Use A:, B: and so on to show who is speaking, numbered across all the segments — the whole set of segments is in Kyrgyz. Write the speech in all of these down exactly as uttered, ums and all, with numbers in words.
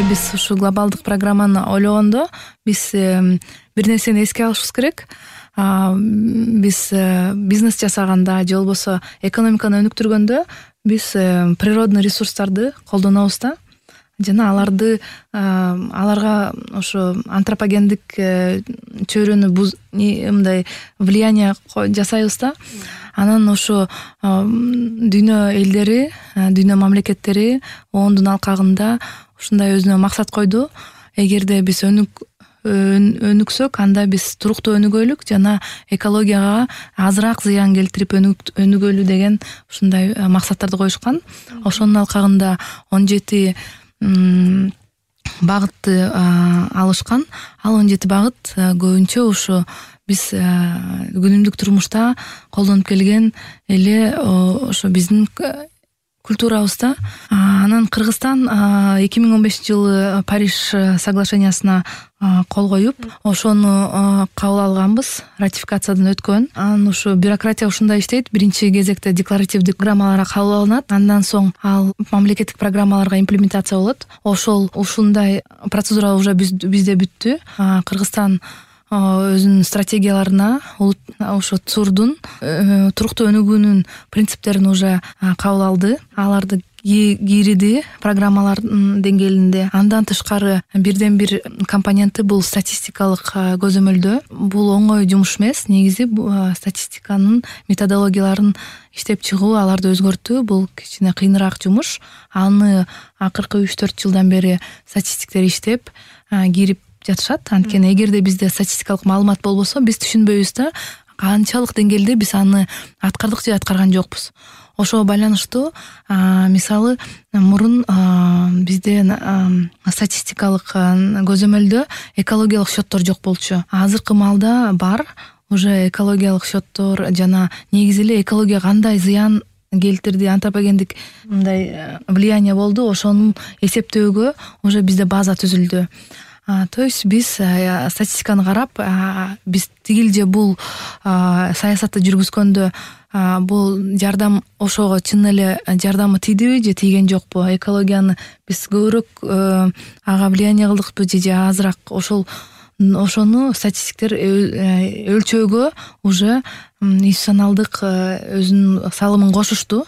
A: биз ушу глобалдык программаны ойлогондо биз бир нерсени эске алышыбыз керек. Биз бизнес жасаганда же болбосо экономиканы өнүктүргөндө биз природный ресурстарды колдонобуз да, жана аларды аларга ошо антропогендик чөйрөнү мындай влияние жасайбыз да. Анан ошо дүйнө элдери, дүйнө мамлекеттери оондун алкагында ушундай өзүнө максат койду. Эгерде биз өнүк өнүксөк, анда биз туруктуу өнүгөлүк жана экологияга азыраак зыян келтирип өнүгөлү деген ушундай максаттарды коюшкан. Ошонун алкагында он жети багытты алышкан. Ал он жети багыт көбүнчө ушу биз күнүмдүк турмушта колдонуп келген эле ошо биздин культурабызда. Анан Кыргызстан эки миң он бешинчи жылы Париж соглашениясына кол коюп, ошону кабыл алганбыз, ратификациядан өткөн. Анан ушу бюрократия ушундай иштейт. Биринчи кезекте декларативдик программалар кабыл алынат, андан соң ал мамлекеттик программаларга имплементация болот. Ошол ушундай процедура уже бизде бүттү. Кыргызстан өзүнүн стратегияларына ошо ЦУРдун туруктуу өнүгүүнүн принциптерин уже кабыл алды. Аларды кийриди программалардын деңгээлинде. Андан тышкары бирден бир компоненти бул статистикалык көзөмөлдөө. Бул оңой жумуш эмес. Негизи статистиканын методологияларын иштеп чыгуу, аларды өзгөртүү бул кичине кыйыныраак жумуш. Аны акыркы үч төрт жылдан бери статистиктер иштеп кирип жатышат. Анткени эгерде бизде статистикалык маалымат болбосо, биз түшүнбөйбүз да канчалык деңгээлде биз аны аткардык же аткарган жокпуз. Ошого байланыштуу мисалы мурун бизде статистикалык көзөмөлдө экологиялык счеттор жок болчу. Азыркы маалда бар уже экологиялык счеттор жана негизи эле экология кандай зыян келтирди, антропогендик мындай влияние болду, ошону эсептөөгө уже бизде база түзүлдү. То есть биз статистиканы карап, биз тигилже бул саясатты жүргүзгөндө бул жардам ошого чын эле жардамы тийдиби же тийген жокпу, экологияны биз көбүрөөк ага влияние кылдыкпы же азыраак, ошол ошону статистиктер өлчөөгө уже институционалдык өзүнүн салымын кошушту.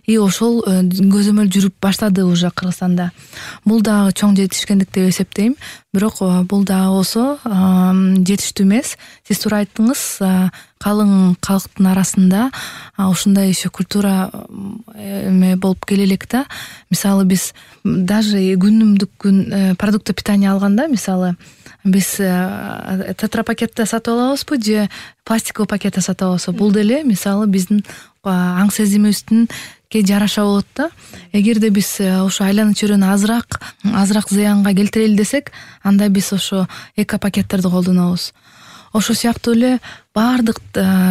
A: И ошол көзөмөл жүрүп баштады уже Кыргызстанда. Бул дагы чоң жетишкендик деп эсептейм. Бирок бул дагы болсо жетиштүү эмес. Сиз туура айттыңыз, калың калктын арасында ушундай еще культура эме болуп келе элек да. Мисалы биз даже күнүмдүк күн продукты питания алганда, мисалы биз тетрапакетте сатып алабызбы же пластиковый пакетте сатып алабызбы? Бул деле мисалы биздин аң сезимибиздин ке жараша болот да. Эгерде биз ошо айлана чөйрөнү азыраак азыраак зыянга келтирели десек, анда биз ошо эко пакеттерди колдонобуз. Ошо сыяктуу эле баардык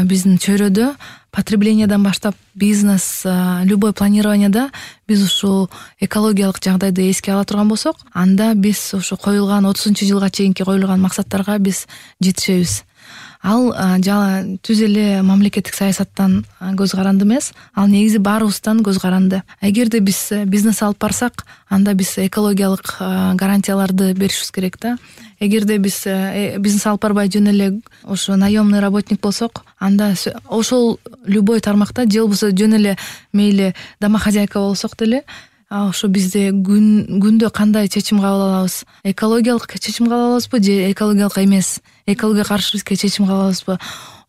A: биздин чөйрөдө потреблениядан баштап бизнес, любой планированияда биз ушул экологиялык жагдайды эске ала турган болсок, анда биз ошо коюлган отузунчу жылга чейинки коюлган максаттарга биз жетишебиз. Ал жана түз эле мамлекеттик саясаттан көз каранды эмес, ал негизи баарыбыздан көз каранды. Эгерде биз бизнес алып барсак, анда биз экологиялык гарантияларды беришибиз керек да. Эгерде биз бизнес алып барбай жөн эле ошо наемный работник болсок, анда ошол любой тармакта же болбосо жөн эле мейли домохозяйка болсок деле, ошо бизде күн күндө кандай чечим кабыл алабыз? Экологиялык чечим кабыл алабызбы же экологиялык эмес? Экологияга каршы бизге чечим кабыл алабызбы?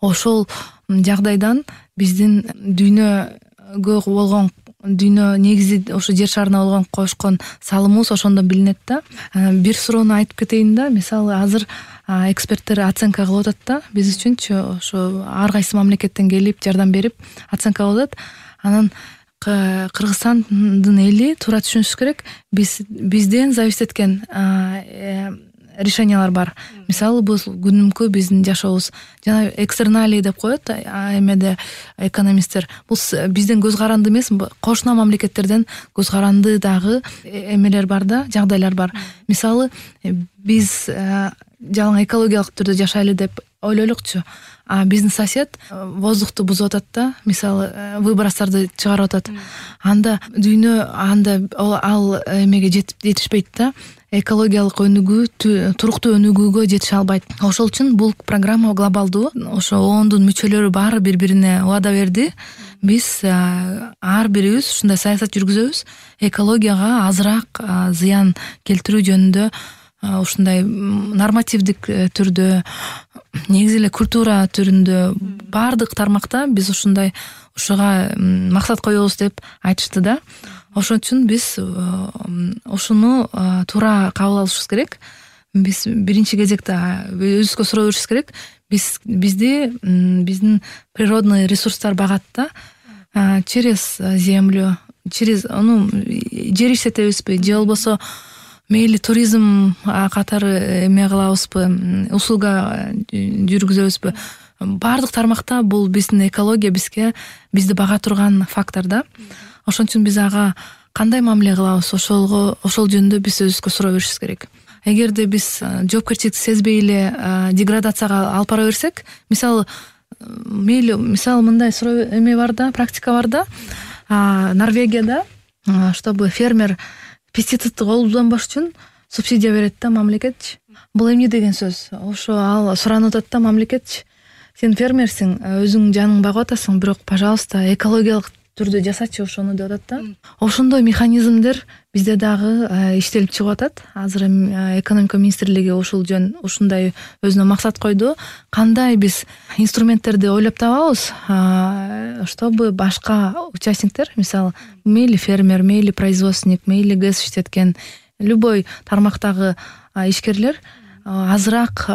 A: Ошол жагдайдан биздин дүйнөгө болгон дүйнө негизи ошо жер шарына болгон кошкон салымыбыз ошондон билинет да. Бир суроону айтып кетейин да. Мисалы азыр эксперттер оценка кылып атат да. Биз үчүнчү ошо ар кайсы мамлекеттен келип жардам берип оценка кылып атат. Анан Кыргызстандын эли туура түшүнүшү керек, биз бизден зависит эткен решениялар бар. Мисалы бул күнүмкү биздин жашообуз жана экстерналии деп коет эмеде экономисттер. Бул бизден көз каранды эмес, кошуна мамлекеттерден көз каранды дагы эмелер бар да, жагдайлар бар. Мисалы биз жалаң экологиялык түрдө жашайлы деп ойлойлукчу. а биздин сосед воздухту бузуп атат да, мисалы выбростарды чыгарып атат. Анда дүйнө анда ал эмеге жетишпейт да, экологиялык өнүгүү, туруктуу өнүгүүгө жетише албайт. Ошол үчүн бул программа глобалдуу. Ошо оондун мүчөлөрү баары бири-бирине убада берди. Биз ар бирибиз ушундай саясат жүргүзөбүз. Экологияга азыраак зыян келтирүү жөнүндө ушундай нормативдик түрдө, негизи эле культура түрүндө баардык тармакта биз ушундай ушуга максат коебуз деп айтышты да. Ошон үчүн биз ушуну туура кабыл алышыбыз керек. Биз биринчи кезекте өзүбүзгө суроо беришибиз керек. Биз бизди биздин природный ресурстар багат да, через землю, через ну жер иштетебизби же болбосо мейли туризм катары эме кылабызбы, услуга жүргүзөбүзбү. Баардык тармакта бул биздин экология бизге бизди бага турган фактор да. Ошон үчүн биз ага кандай мамиле кылабыз, ошолго ошол жөнүндө биз өзүбүзгө суроо беришибиз керек. Эгерде биз жоопкерчиликти сезбей эле деградацияга алып бара берсек, мисалы мейли мисалы мындай суроо эме бар да, практика бар да. Норвегияда чтобы фермер пестицидти колдонбош үчүн субсидия берет да мамлекетчи. Бул эмне деген сөз? Ошо ал суранып атат да, мамлекетчи, сен фермерсиң, өзүң жаның багып атасың, бирок пожалуйста экологиялык түрдө жасачы ошону деп атат да. Ошондой механизмдер бизде дагы иштелип чыгып атат. Азыр экономика министрлиги ушул жөн ушундай өзүнө максат койду. Кандай биз инструменттерди ойлоп табабыз, чтобы башка участниктер, мисалы мейли фермер, мейли производственник, мейли гэс иштеткен любой тармактагы ишкерлер азыраак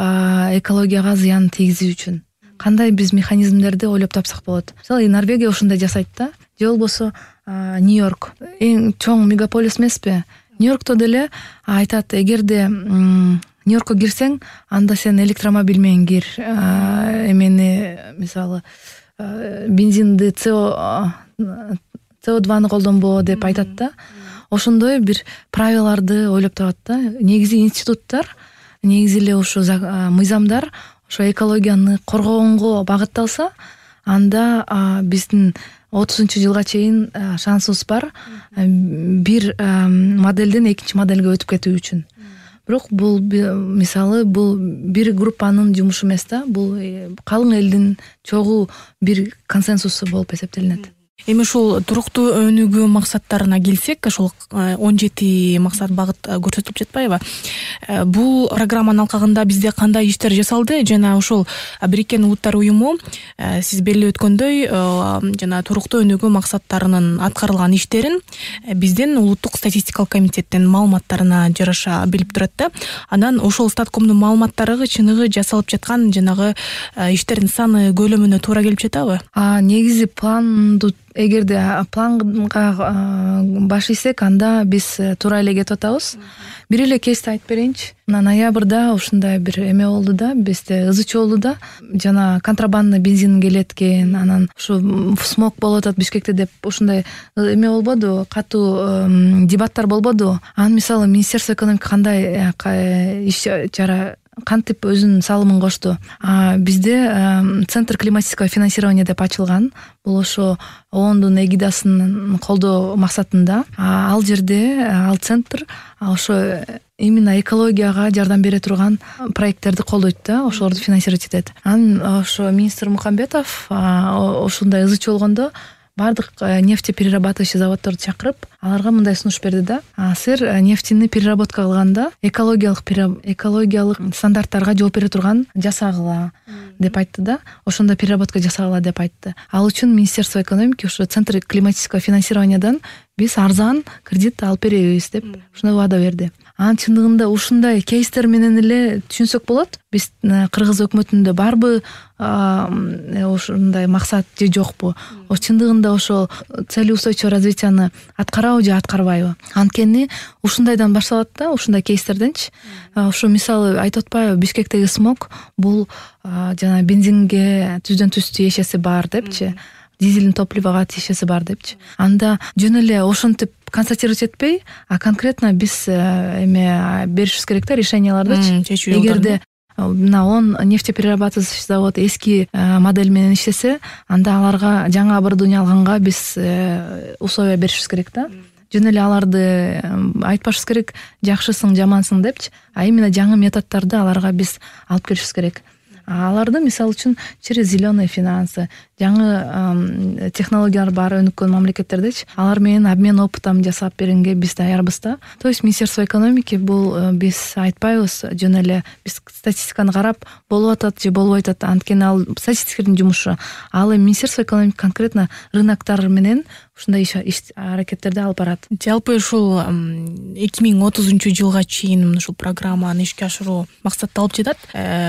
A: экологияга зыян тийгизүү үчүн кандай биз механизмдерди ойлоп тапсак болот. Мисалы Норвегия ушундай жасайт да. Же болбосо Нью-Йорк эң чоң мегаполис эмеспи? Нью-Йоркто деле айтат, эгерде Нью-Йоркко кирсең, анда сен электромобиль менен кир, эмени мисалы бензинди СО СО2ны колдонбо деп айтат да. Ошондой бир правиларды ойлоп табат да. Негизи институттар, негизи эле ошо мыйзамдар ошо экологияны коргогонго багытталса, анда биздин отузунчу жылга чейин шансыбыз бар бир моделден экинчи модельге өтүп кетүү үчүн. Бирок бул мисалы бул бир группанын жумушу эмес да, бул калың элдин чогуу бир консенсусу болуп эсептелинет.
B: Эми ушул туруктуу өнүгүү максаттарына келсек, ошол он жети максат багыт көрсөтүлүп жатпайбы? Бул программанын алкагында бизде кандай иштер жасалды жана ошол Бириккен Улуттар уюму сиз белгилеп өткөндөй жана туруктуу өнүгүү максаттарынын аткарылган иштерин биздин улуттук статистикалык комитеттин маалыматтарына жараша билип турат да. Анан ошол статкомдун маалыматтары чыныгы жасалып жаткан жанагы иштердин саны көлөмүнө туура келип жатабы?
A: Негизи планду эгерде планга баш ийсек, анда биз туура эле кетип атабыз. Бир эле кейсти айтып берейинчи. Мына ноябрда ушундай бир эме болду да, бизде ызы чуу болду да. Жана контрабандный бензин келет экен, анан ушу смог болуп атат Бишкекте деп ушундай эме болбоду, катуу дебаттар болбоду. Анан мисалы Министерство экономика кандай иш чара кантип өзүнүн салымын кошту. Бизде Центр климатического финансирования деп ачылган. Бул ошо оондун эгидасын колдоо максатында. Ал жерде ал центр ошо именно экологияга жардам бере турган проекттерди колдойт да, ошолорду финансировать этет. Анан ошо министр Мухамбетов ошондой ызы чуу болгондо бардык нефтеперерабатывающий заводдорду чакырып, аларга мындай сунуш берди да. Силер нефтини переработка кылганда экологиялык экологиялык стандарттарга жооп бере турган жасагыла деп айтты да. Ошондо переработка жасагыла деп айтты. Ал үчүн Министерство экономики ошо Центр климатического финансированиядан биз арзан кредит алып беребиз деп ушундай убада берди. Анын чындыгында ушундай кейстер менен эле түшүнсөк болот. Биз Кыргыз өкмөтүндө барбы ушундай максат же жокпу? О чындыгында ошол целеустойчивое развитияны аткарабы же аткарбайбы? Анткени ушундайдан башталат да, ушундай кейстерденчи. Ошо мисалы айтып атпайбы, Бишкектеги смог бул жана бензинге түздөн түз тиешеси бар депчи. Дизельный топливого тиешеси бар депчи. Анда жөн эле ошентип констатировать этпей, а конкретно биз эме беришибиз керек да, решениялардычы. Эгерде мына он нефтеперерабатывающий завод эски модель менен иштесе, анда аларга жаңы оборудование алганга биз условия беришибиз керек да. Жөн эле аларды айтпашыбыз керек жакшысың жамансың депчи, а именно жаңы методдорду аларга биз алып келишибиз керек. Аларды мисалы үчүн через зеленые финансы, жаңы технологиялар бар өнүккөн мамлекеттердечи, алар менен обмен опытын жасап бергенге биз даярбыз да. То есть Министерство экономики бул биз айтпайбыз жөн эле биз статистиканы карап болуп атат же болбой атат, анткени ал статистиктердин жумушу. Ал эми Министерство экономики конкретно рыноктор менен ушундай иш аракеттерди алып барат.
B: Жалпы ушул эки миң отузунчу жылга чейин ушул программаны ишке ашыруу максатталып жатат.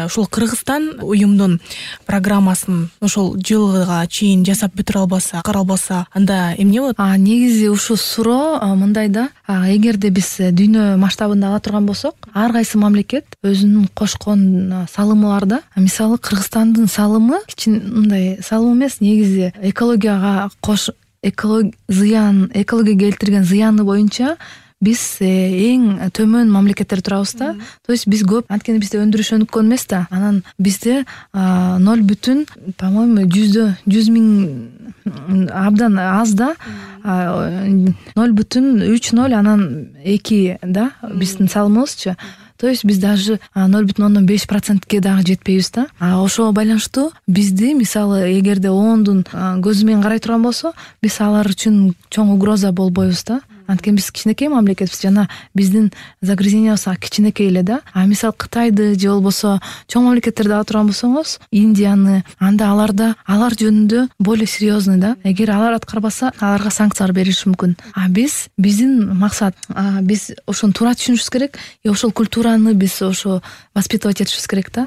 B: Ушул Кыргызстан уюмдун программасын ошол жылга чейин жасап бүтүрө албаса, каралбаса, анда эмне болот?
A: А негизи ушул суроо мындай да, эгерде биз дүйнө масштабында ала турган болсок, ар кайсы мамлекет өзүнүн кошкон салымы бар да. Мисалы Кыргызстандын салымы кичине мындай салым эмес, негизи экологияга кош эколог зыян, экологияга келтирген зыяны боюнча биз эң төмөн мамлекеттер турабыз да. То есть биз көп, анткени бизде өндүрүш өнүккөн эмес да. Анан бизде ноль бүтүн, по-моему, жүздө жүз миң абдан аз да. ноль бүтүн үч ноль анан эки да биздин салымыбызчы. То есть биз даже ноль бүтүн ондон беш процентке дагы жетпейбиз да. А ошого байланыштуу бизди мисалы эгерде ондун көзү менен карай турган болсо, биз алар үчүн чоң угроза болбойбуз да. Анткени биз кичинекей мамлекетбиз, жана биздин загрязнениябыз кичинекей эле да. А мисалы Кытайды же болбосо чоң мамлекеттерди ала турган болсоңуз, Индияны, анда аларда алар жөнүндө более серьезный да. Эгер алар аткарбаса, аларга санкциялар берилиши мүмкүн. А биз биздин максат, биз ошону туура түшүнүшүбүз керек, и ошол культураны биз ошо воспитывать этишибиз керек да.